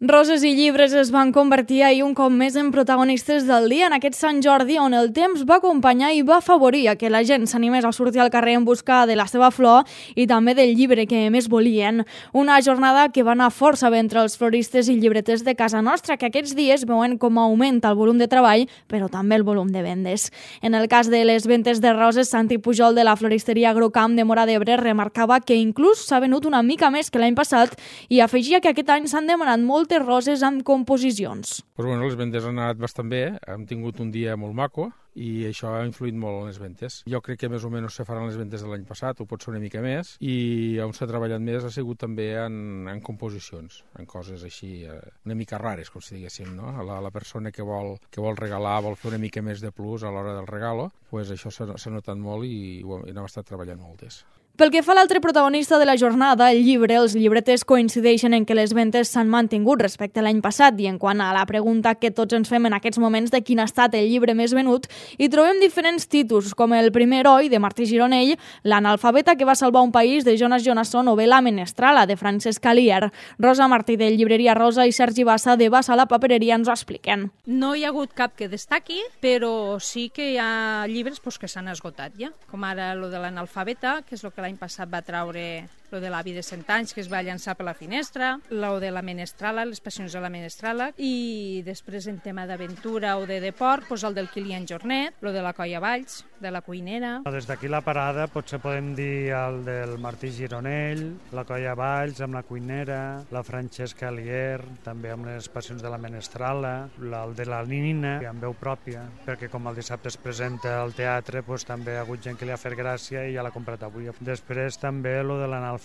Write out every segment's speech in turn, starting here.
Roses i llibres es van convertir ahir un cop més en protagonistes del dia en aquest Sant Jordi, on el temps va acompanyar i va afavorir que la gent s'animés a sortir al carrer en busca de la seva flor i també del llibre que més volien. Una jornada que va anar força bé entre els floristes i llibreters de casa nostra, que aquests dies veuen com augmenta el volum de treball, però també el volum de vendes. En el cas de les ventes de roses, Santi Pujol de la floristeria Agrocamp de Móra d'Ebre remarcava que inclús s'ha venut una mica més que l'any passat i afegia que aquest any s'han demanat moltes roses amb composicions. Les vendes han anat bastant bé, hem tingut un dia molt maco i això ha influït molt en les ventes. Jo crec que més o menys se faran les ventes de l'any passat, o pot ser una mica més, i on s'ha treballat més ha sigut també en composicions, en coses així una mica rares, com si diguéssim, no? La persona que vol regalar, vol fer una mica més de plus a l'hora del regalo, pues això s'ha notat molt i n'hem estat treballant moltes. Pel que fa a l'altre protagonista de la jornada, el llibre, els llibreters coincideixen en que les ventes s'han mantingut respecte a l'any passat i en quant a la pregunta que tots ens fem en aquests moments de quin ha estat el llibre més venut, hi trobem diferents títols, com El primer heroi, de Martí Gironell, L'analfabeta que va salvar un país, de Jonas Jonasson, o bé La menestrala, de Francesc Alier. Rosa Martí, de Llibreria Rosa, i Sergi Bassa, de Bassa la papereria, ens ho expliquen. No hi ha hagut cap que destaqui, però sí que hi ha llibres que s'han esgotat ja, com ara el de l'analfabeta, que és el que l'any passat va traure lo de l'avi de 100 anys, que es va llançar per la finestra, lo de la menestrala, les passions de la menestrala, i després en tema d'aventura o de deport, doncs el del Kilian Jornet, lo de la Colla Valls, de la cuinera. Des d'aquí la parada potser podem dir el del Martí Gironell, la Colla Valls amb la cuinera, la Francesca Alier, també amb les passions de la menestrala, el de la Nina, amb veu pròpia, perquè com el dissabte es presenta al teatre, doncs també ha hagut gent que li ha fet gràcia i ja l'ha comprat avui. Després també lo de l'analfabeta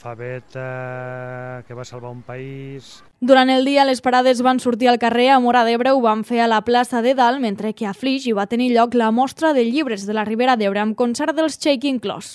que va salvar un país. Durant el dia, les parades van sortir al carrer. A Móra d'Ebre ho van fer a la plaça de Dalt, mentre que a Flix hi va tenir lloc la mostra de llibres de la Ribera d'Ebre amb concert dels Shaking Claws.